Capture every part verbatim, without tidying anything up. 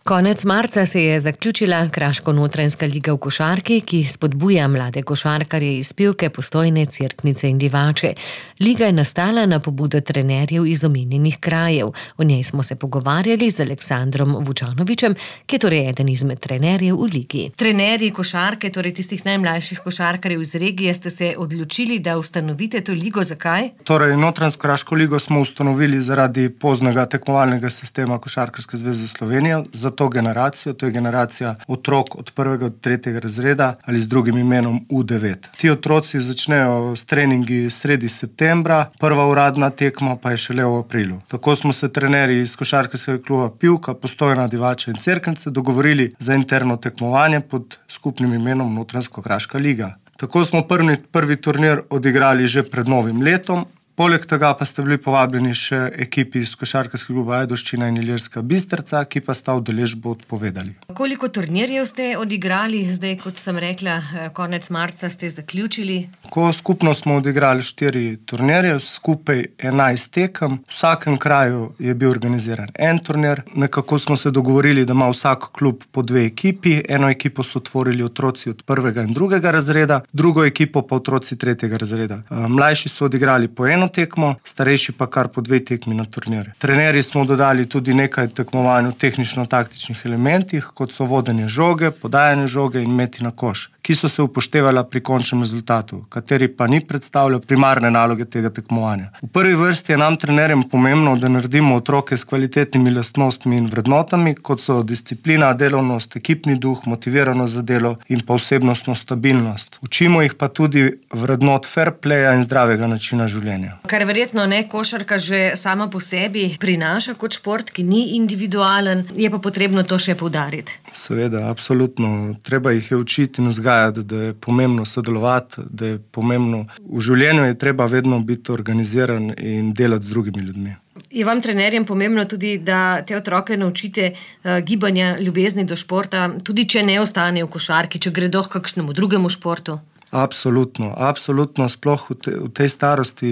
Konec marca se je zaključila Kraško-Notranjska liga v košarki, ki spodbuja mlade košarkarje iz Pivke, Postojne, Cerknice in Divače. Liga je nastala na pobudo trenerjev iz omenjenih krajev. O njej smo se pogovarjali z Aleksandrom Vučanovičem, ki je torej eden izmed trenerjev v ligi. Trenerji košarke, torej tistih najmlajših košarkarjev iz regije, ste se odločili, da ustanovite to ligo. Zakaj? Torej, Notranjsko kraško ligo smo ustanovili zaradi poznega tekmovalnega sistema Košarkarske zveze Slovenije. Za to generacijo, to je generacija otrok od prvega do tretjega razreda ali z drugim imenom U devet. Ti otroci začnejo s treningi sredi septembra, prva uradna tekma pa je šele v aprilu. Tako smo se trenerji iz Košarkarskega kluba Pivka, Postojna, Divača in Cerknice dogovorili za interno tekmovanje pod skupnim imenom Notranjsko kraška liga. Tako smo prvi, prvi turnir odigrali že pred novim letom. Poleg tega pa ste bili povabljeni še ekipi iz Košarkarskega kluba Ajdovščina in Ilirska Bistrica, ki pa sta udeležbo odpovedali. Koliko turnirjev ste odigrali? Zdaj, kot sem rekla, konec marca ste zaključili. Ko skupno smo odigrali štiri turnirje, skupaj enajst tekem. V vsakem kraju je bil organiziran en turnir. Nekako smo se dogovorili, da ima vsak klub po dve ekipi. Eno ekipo so otvorili otroci od prvega in drugega razreda, drugo ekipo pa otroci tretjega razreda. Mlajši so odigrali po eno tekmo, starejši pa kar po dve tekmi na turnirje. Trenerji smo dodali tudi nekaj tekmovanj v tehnično-taktičnih elementih, kot so vodenje žoge, podajanje žoge in meti na koš, ki so se upoštevala pri končnem rezultatu, kateri pa ni predstavljal primarne naloge tega tekmovanja. V prvi vrsti je nam trenerjem pomembno, da naredimo otroke s kvalitetnimi lastnostmi in vrednotami, kot so disciplina, delovnost, ekipni duh, motiviranost za delo in pa osebnostno stabilnost. Učimo jih pa tudi vrednot fair playa in zdravega načina življenja. Kar verjetno ne košarka že sama po sebi prinaša kot šport, ki ni individualen, je pa potrebno to še poudariti. Seveda, absolutno. Treba jih je učiti in vzgajati, da je pomembno sodelovati, da je pomembno. V življenju je treba vedno biti organiziran in delati z drugimi ljudmi. Je vam trenerjem pomembno tudi, da te otroke naučite uh, gibanja, ljubezni do športa, tudi če ne ostane v košarki, če gredo k kakšnemu drugemu športu? Absolutno, absolutno, sploh v, te, v tej starosti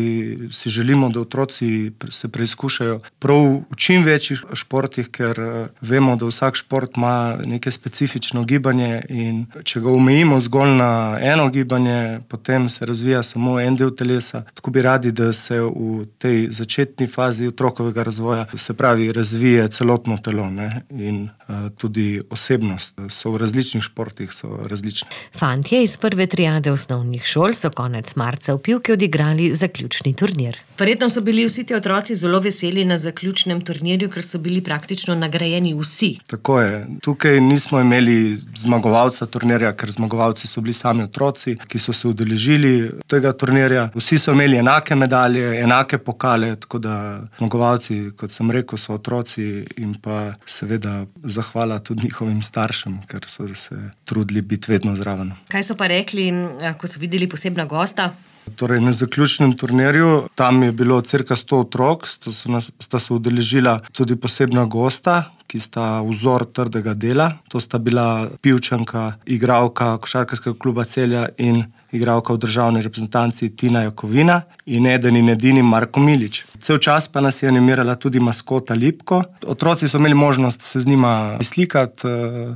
si želimo, da otroci se preizkušajo prav v čim večjih športih, ker vemo, da vsak šport ima neke specifično gibanje in če ga omejimo zgolj na eno gibanje, potem se razvija samo en del telesa. Tako bi radi, da se v tej začetni fazi otrokovega razvoja, se pravi, razvije celotno telo, ne? In uh, tudi osebnost. So v različnih športih, so različni. Fantje iz prve triade osnovnih šol so konec marca v Pivki odigrali zaključni turnir. Verjetno so bili vsi ti otroci zelo veseli na zaključnem turnirju, ker so bili praktično nagrajeni vsi. Tako je. Tukaj nismo imeli zmagovalca turnirja, ker zmagovalci so bili sami otroci, ki so se udeležili tega turnirja. Vsi so imeli enake medalje, enake pokale, tako da zmagovalci, kot sem rekel, so otroci in pa seveda zahvala tudi njihovim staršem, ker so se trudili biti vedno zraven. Kaj so pa rekli, ko so videli posebna gosta? Torej, na zaključnem turnirju, tam je bilo cirka sto otrok, sta se, nas, sta se udeležila tudi posebna gosta, ki sta vzor trdega dela. To sta bila Pivčanka, igralka Košarkarskega kluba Celja in igralka v državni reprezentanci Tina Jakovina in eden in edini Marko Milič. Cel čas pa nas je animirala tudi maskota Lipko. Otroci so imeli možnost se z njima slikati,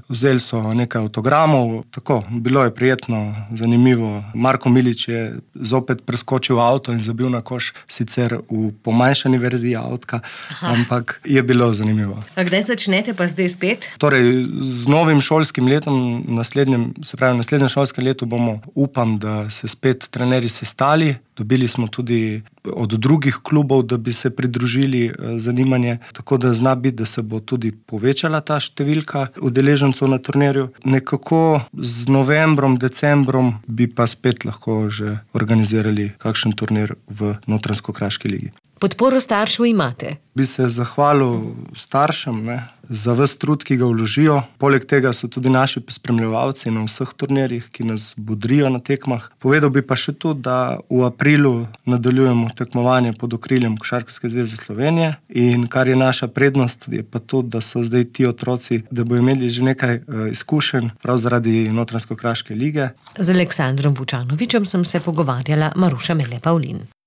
vzeli so nekaj avtogramov, tako, bilo je prijetno, zanimivo. Marko Milič je zopet preskočil avto in zabil na koš, sicer v pomanjšani verziji avtka, ampak je bilo zanimivo. A kdaj začnete pa zdaj spet? Torej, z novim šolskim letom, naslednjem, se pravi, naslednjem šolskem letu bomo, upam, da se spet trenerji sestali. Dobili smo tudi od drugih klubov, da bi se pridružili zanimanje, tako da zna biti, da se bo tudi povečala ta številka udeležencev na turnirju. Nekako z novembrom, decembrom bi pa spet lahko že organizirali kakšen turnir v Notranjsko kraški ligi. Podporo staršev imate? Bi se zahvalil staršem, ne, za ves trud, ki ga vložijo. Poleg tega so tudi naši spremljevalci na vseh turnirjih, ki nas bodrijo na tekmah. Povedal bi pa še to, da v aprilu nadaljujemo tekmovanje pod okriljem Košarkarske zveze Slovenije in kar je naša prednost, je pa to, da so zdaj ti otroci, da bodo imeli že nekaj uh, izkušenj prav zaradi Notranjsko kraške lige. Z Aleksandrom Vučanovičem sem se pogovarjala Maruša Mele Pavlin.